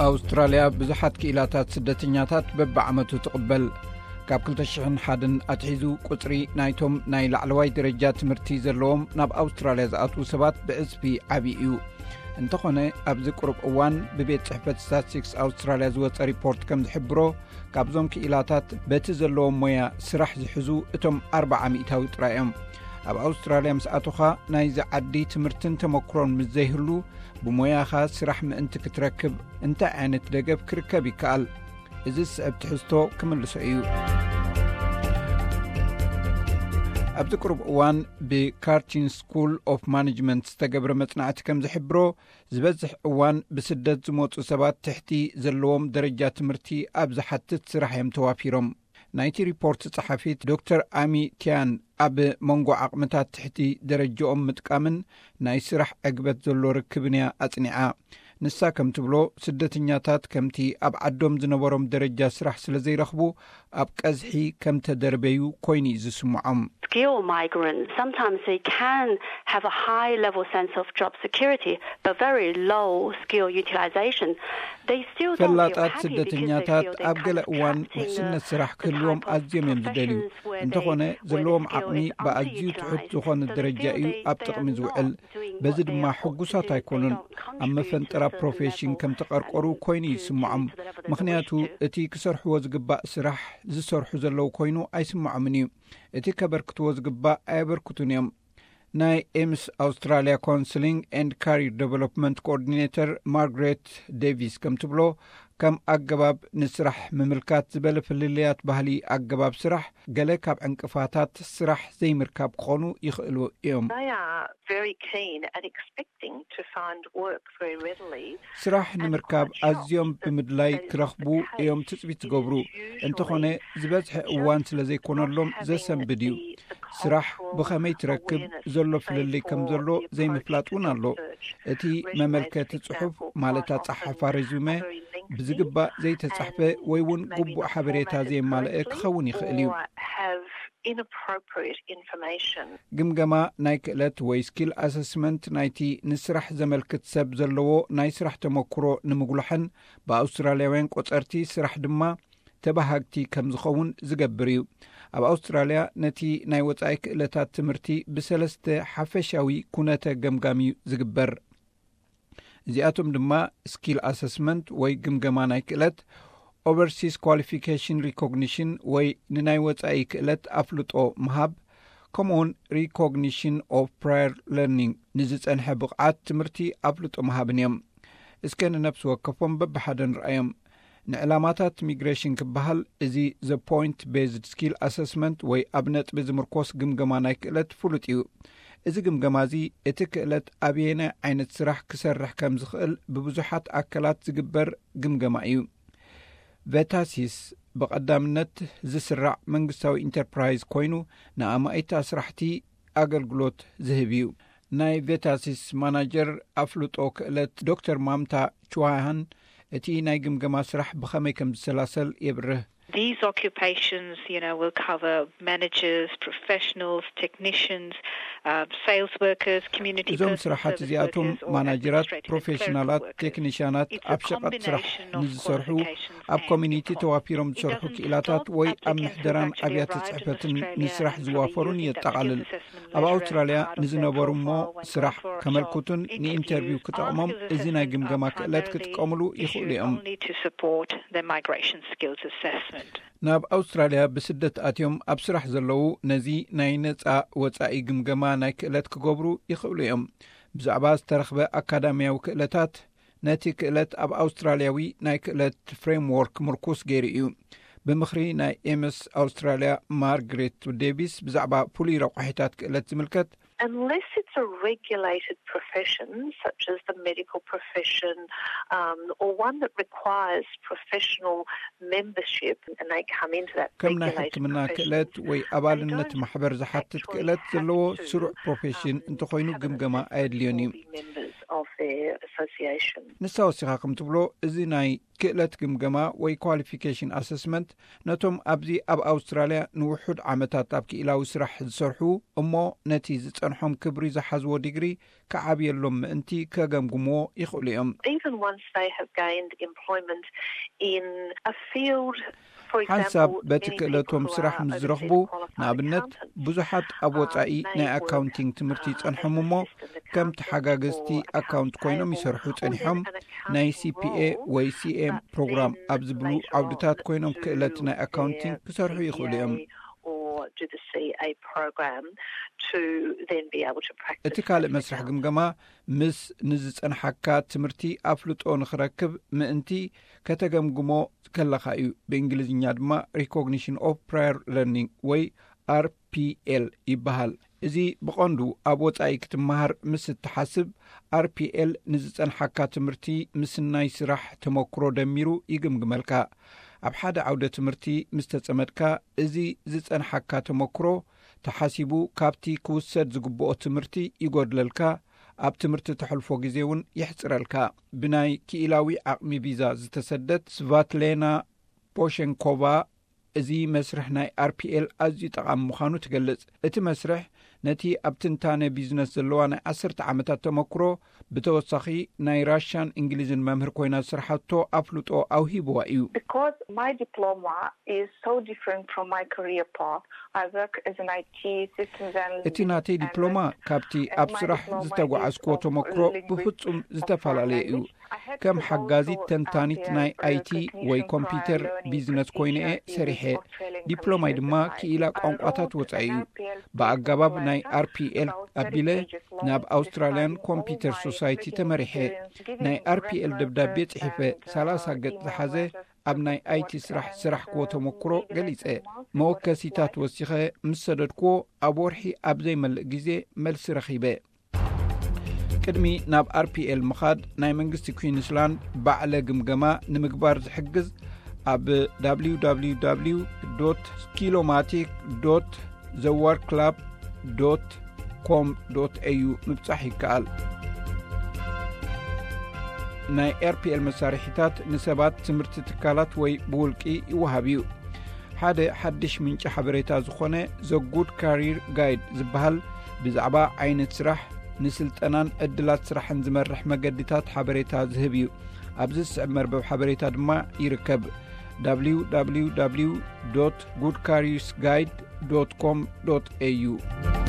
ኣውስትራልያ ብዙሓት ክኢላታት ስደተኛታት በብዓመቱ ትቕበል። ካብ ክልተ ሽሕን ሓደን ኣትሒዙ፣ ቁጽሪ ናይቶም ናይ ላዕለዋይ ደረጃ ትምህርቲ ዘለዎም ናብ ኣውስትራልያ ዝኣትዉ ሰባት ብዕጽፊ ዓብዪ እዩ። እንተኾነ፣ ኣብዚ ቁሩብ እዋን ብቤት ጽሕፈት ስታትስቲክስ ኣውስትራልያ ዝወጸ ሪፖርት ከም ዝሕብሮ፣ ካብዞም ክኢላታት በቲ ዘለዎም ሞያ ስራሕ ዝሕዙ እቶም ኣርብዓ ሚእታዊ ጥራይ እዮም። ኣብ ኣውስትራልያ ምስ ኣቶኻ፣ ናይዚ ዓዲ ትምህርትን ተመክሮን ምስ ዘይህሉ፣ ብሞያኻ ስራሕ ምእንቲ ክትረክብ እንታይ ዓይነት ደገፍ ክርከብ ይከኣል? እዚ ዝስዕብ ትሕዝቶ ክምልሶ እዩ። ኣብዚ ቅሩብ እዋን ብካርቲን ስኩል ኦፍ ማኔጅመንት ዝተገብረ መጽናዕቲ ከም ዝሕብሮ፣ ዝበዝሕ እዋን ብስደት ዝመጹ ሰባት ትሕቲ ዘለዎም ደረጃ ትምህርቲ ኣብ ዝሓትት ስራሕ እዮም ተዋፊሮም። ናይቲ ሪፖርት ጸሓፊት ዶክተር ኣሚ ቲያን፣ ኣብ መንጎ ዓቕምታት ትሕቲ ደረጃኦም ምጥቃምን ናይ ስራሕ ዕግበት ዘሎ ርክብን እያ ኣጽኒዓ። ንሳ ከም ትብሎ፣ ስደተኛታት ከምቲ ኣብ ዓዶም ዝነበሮም ደረጃ ስራሕ ስለ ዘይረኽቡ፣ ኣብ ቀዝሒ ከም ተደርበዩ ኮይኑ እዩ ዝስምዖም። Skilled migrants, sometimes they can have a high level sense of job security, but very low skill utilization. They still don't feel ፈላጣት happy because they ስደተኛታት feel they ኣብ ገለ kind of እዋን trapped in ውሕስነት the ስራሕ ክህልዎም kind of ኣዝዮም እዮም ዝደልዩ። Professions where እንተኾነ፣ they, where ዘለዎም the skill ዓቕሚ is ብኣዝዩ ትሑት underutilized. ዝኾነ So they ደረጃ feel እዩ they, ኣብ they ጥቕሚ are ዝውዕል። Not doing በዚ what they ድማ are ought to ሕጉሳት do. They ኣይኮኑን። Don't ኣብ contribute to መፈንጠራ a certain ፕሮፌሽን level ከም of ተቐርቆሩ success ኮይኑ to, ይስምዖም። To the level that they ምኽንያቱ፣ wish to. እቲ ክሰርሕዎ ዝግባእ ስራሕ ዝሰርሑ ዘለዉ ኮይኑ ኣይስምዖምን እዩ። እቲ ከበርክትዎ ዝግባእ ኣየበርክቱን እዮም። ናይ ኤምስ ኣውስትራልያ ካውንስሊንግ ኤንድ ካሪር ዴቨሎፕመንት ኮኦርዲኔተር ማርግሬት ዴቪስ ከም ትብሎ፣ ከም ኣገባብ ንስራሕ ምምልካት ዝበለ ፍልልያት ባህሊ ኣገባብ ስራሕ፣ ገለ ካብ ዕንቅፋታት ስራሕ ዘይምርካብ ክኾኑ ይኽእሉ እዮም። They are very keen and expecting to find work very readily. ስራሕ ንምርካብ ኣዝዮም ብምድላይ ክረኽቡ እዮም ትጽቢት ዝገብሩ። እንተኾነ፣ ዝበዝሐ እዋን ስለ ዘይኮነሎም ዘሰንብድ እዩ። ስራሕ ብኸመይ ትረክብ ዘሎ ፍልልይ ከም ዘሎ ዘይምፍላጥ እውን ኣሎ። እቲ መመልከቲ ጽሑፍ፣ ማለት ኣጸሓሕፋ ሬዙመ፣ ብዝግባእ ዘይተጻሕፈ ወይ እውን ግቡእ ሓበሬታ ዘየማልአ ክኸውን ይኽእል እዩ። Have inappropriate information. ግምገማ ናይ ክእለት ወይ ስኪል ኣሰስመንት ናይቲ ንስራሕ ዘመልክት ሰብ ዘለዎ ናይ ስራሕ ተመክሮ ንምጉላሕን ብኣውስትራልያውያን ቆጸርቲ ስራሕ ድማ ተባሃግቲ ከም ዝኸውን ዝገብር እዩ። ኣብ ኣውስትራልያ ነቲ ናይ ወጻኢ ክእለታት ትምህርቲ ብሰለስተ ሓፈሻዊ ኩነተ ገምጋም እዩ ዝግበር። እዚኣቶም ድማ ስኪል ኣሰስመንት ወይ ግምገማ ናይ ክእለት፣ ኦቨርሲስ ኳሊፊኬሽን ሪኮግኒሽን ወይ ንናይ ወጻኢ ክእለት ኣፍልጦ ምሃብ፣ ከምኡውን ሪኮግኒሽን ኦፍ ፕራየር ለርኒንግ፣ ንዝጸንሐ ብቕዓት ትምህርቲ ኣፍልጦ ምሃብን እዮም። እስከ ንነፍሲ ወከፎም በብሓደ ንርኣዮም። ንዕላማታት ሚግሬሽን ክበሃል፣ እዚ ዘ ፖይንት ቤዝድ ስኪል ኣሰስመንት ወይ ኣብ ነጥቢ ዝምርኮስ ግምገማ ናይ ክእለት ፍሉጥ እዩ። እዚ ግምገማ እዚ፣ እቲ ክእለት ኣበየናይ ዓይነት ስራሕ ክሰርሕ ከም ዝኽእል ብብዙሓት ኣካላት ዝግበር ግምገማ እዩ። ቬታሲስ ብቐዳምነት ዝስራዕ መንግስታዊ ኢንተርፕራይዝ ኮይኑ፣ ንኣማኢት ኣስራሕቲ ኣገልግሎት ዝህብ እዩ። ናይ ቬታሲስ ማናጀር ኣፍልጦ ክእለት ዶክተር ማምታ ቹዋሃን፣ እቲ ናይ ግምገማ ስራሕ ብኸመይ ከም ዝሰላሰል የብርህ። These occupations, you know, will cover managers, professionals, technicians, um, sales workers, community እዞም person ስራሓት service እዚኣቶም workers, or ማናጀራት፣ administrative and ፕሮፌሽናላት፣ clerical workers. ቴክኒሽያናት፣ It's a ኣብ ሸቐጥ ስራሕ combination of ንዝሰርሑ፣ qualifications ኣብ and ኮሚኒቲ it doesn't ተዋፊሮም ዝሰርሑ just ክኢላታት ወይ ኣብ applicants ምሕደራን who have ኣብያተ arrived in ጽሕፈትን Australia ንስራሕ and ዝዋፈሩን probably use የጠቓልል። Aptitude Assessment ኣብ measure ኣውስትራልያ as part of their ንዝነበሩ እሞ profile ስራሕ for a job ከመልክቱን interview ንኢንተርቪው ክጠቕሞም፣ as እዚ ናይ assessments ግምገማ are ክእለት targeted ክጥቀምሉ at ይኽእሉ እዮም። Only to support the migration skills assessment. ናብ ኣውስትራልያ ብስደት ኣትዮም ኣብ ስራሕ ዘለዉ ነዚ ናይ ነጻ ወጻኢ ግምገማ ናይ ክእለት ክገብሩ ይኽእሉ እዮም። ብዛዕባ ዝተረኽበ ኣካዳሚያዊ ክእለታት፣ ነቲ ክእለት ኣብ ኣውስትራልያዊ ናይ ክእለት ፍሬምዎርክ ምርኩስ ገይሩ እዩ። ብምኽሪ ናይ ኤምስ ኣውስትራልያ ማርግሬት ዴቪስ፣ ብዛዕባ ፍሉይ ረቋሒታት ክእለት ዝምልከት፣ Unless it's a regulated profession, such as the medical profession, um, or one that requires professional membership, and they come into that ከም ናይ ሕክምና ክእለት ወይ ኣባልነት ማሕበር ዝሓትት ክእለት ዘለዎ ስሩዕ ፕሮፌሽን እንተኾይኑ ግምገማ ኣየድልዮን እዩ። their association. ንሳ ወሲኻ ከም ትብሎ፣ እዚ ናይ ክእለት ግምገማ ወይ qualification assessment ነቶም ኣብዚ ኣብ ኣውስትራልያ ንውሑድ ዓመታት ኣብ ክኢላዊ ስራሕ ዝሰርሑ እሞ ነቲ ዝጸንሖም ክብሪ ዝሓዝዎ ዲግሪ ክዓብየሎም ምእንቲ ከገምግምዎ ይኽእሉ እዮም። Even once they have gained employment in a field, for ሓንሳብ example, በቲ many ክእለቶም people ስራሕ are ምስ ዝረኽቡ፣ overseas qualified ንኣብነት፣ accountants, ብዙሓት ኣብ um, ወጻኢ they ናይ may work ኣካውንቲንግ ትምህርቲ um, ይጸንሖም as እሞ፣ assistant ከም accountants ተሓጋገዝቲ or ኣካውንት ኮይኖም um, ይሰርሑ or ጸኒሖም፣ even an ናይ accounting ሲፒኤ role, ወይ ሲኤም but ፕሮግራም then ኣብ ዝብሉ later on ዓውድታት ኮይኖም to ክእለት ናይ then ኣካውንቲንግ ክሰርሑ ይኽእሉ እዮም። C P A or do the C A program to then be able to practice እቲ ካልእ that መስርሕ account. ግምገማ ምስ ንዝጸንሓካ ትምህርቲ ኣፍልጦ ንኽረክብ ምእንቲ ከተገምግሞ ከለኻ እዩ። ብእንግሊዝኛ ድማ recognition of prior learning ወይ ኣርፒኤል ይበሃል። እዚ ብቐንዱ ኣብ ወጻኢ ክትመሃር ምስ እትሓስብ፣ ኣርፒኤል ንዝጸንሓካ ትምህርቲ ምስ ናይ ስራሕ ተመክሮ ደሚሩ ይግምግመልካ። ኣብ ሓደ ዓውደ ትምህርቲ ምስ ተጸመድካ፣ እዚ ዝጸንሓካ ተመክሮ ተሓሲቡ ካብቲ ክውሰድ ዝግብኦ ትምህርቲ ይጎድለልካ፣ ኣብ ትምህርቲ ተሕልፎ ግዜ እውን የሕጽረልካ። ብናይ ክኢላዊ ዓቕሚ ቪዛ ዝተሰደት ስቫትሌና ፖሸንኮቫ፣ እዚ መስርሕ ናይ ኣርፒኤል ኣዝዩ ጠቓሚ ምዃኑ ትገልጽ። እቲ መስርሕ ነቲ ኣብ ትንታነ ቢዝነስ ዘለዋ ናይ ዓሰርተ ዓመታት ተመክሮ፣ ብተወሳኺ ናይ ራሽያን እንግሊዝን መምህር ኮይና ዝሰርሓቶ ኣፍልጦ ኣውሂብዋ እዩ። Because my diploma is so different from my career path, I work as an I T systems analyst እቲ ናተይ and ዲፕሎማ ካብቲ ኣብ ስራሕ ዝተጓዓዝክዎ ተመክሮ ብፍጹም ዝተፈላለየ እዩ። ከም ሓጋዚት ተንታኒት ናይ ኣይቲ ወይ ኮምፒውተር ቢዝነስ ኮይነ እየ ሰሪሐ። ዲፕሎማይ ድማ ክኢላ ቋንቋታት ወጻኢ እዩ። ብኣገባብ ናይ ኣርፒኤል ኣቢለ ናብ ኣውስትራልያን ኮምፒውተር ሶሳይቲ ተመሪሐ። ናይ ኣርፒኤል ደብዳቤ ጽሒፈ፣ ሰላሳ ገጽ ዝሓዘ፣ ኣብ ናይ ኣይቲ ስራሕ ስራሕ ክዎ ተመክሮ ገሊጸ። መወከሲታት ወሲኸ ምስ ሰደድክዎ፣ ኣብ ወርሒ ኣብ ዘይመልእ ግዜ መልሲ ረኺበ። ቅድሚ ናብ ኣርፒኤል ምኻድ፣ ናይ መንግስቲ ኩዊንስላንድ ባዕለ ግምገማ ንምግባር ዝሕግዝ ኣብ www.skillomatic.theworkclub.com.au ምብጻሕ ይከኣል። ናይ ኣርፒኤል መሳርሒታት ንሰባት፣ ትምህርቲ ትካላት ወይ ብውልቂ ይወሃብ እዩ። ሓደ ሓድሽ ምንጪ ሓበሬታ ዝኾነ ዘ ጉድ ካሪር ጋይድ ዝበሃል፣ ብዛዕባ ዓይነት ስራሕ፣ ንስልጠናን ዕድላት ስራሕን ዝመርሕ መገዲታት ሓበሬታ ዝህብ እዩ። ኣብዚ ዝስዕብ መርበብ ሓበሬታ ድማ ይርከብ። www.goodcareersguide.com.au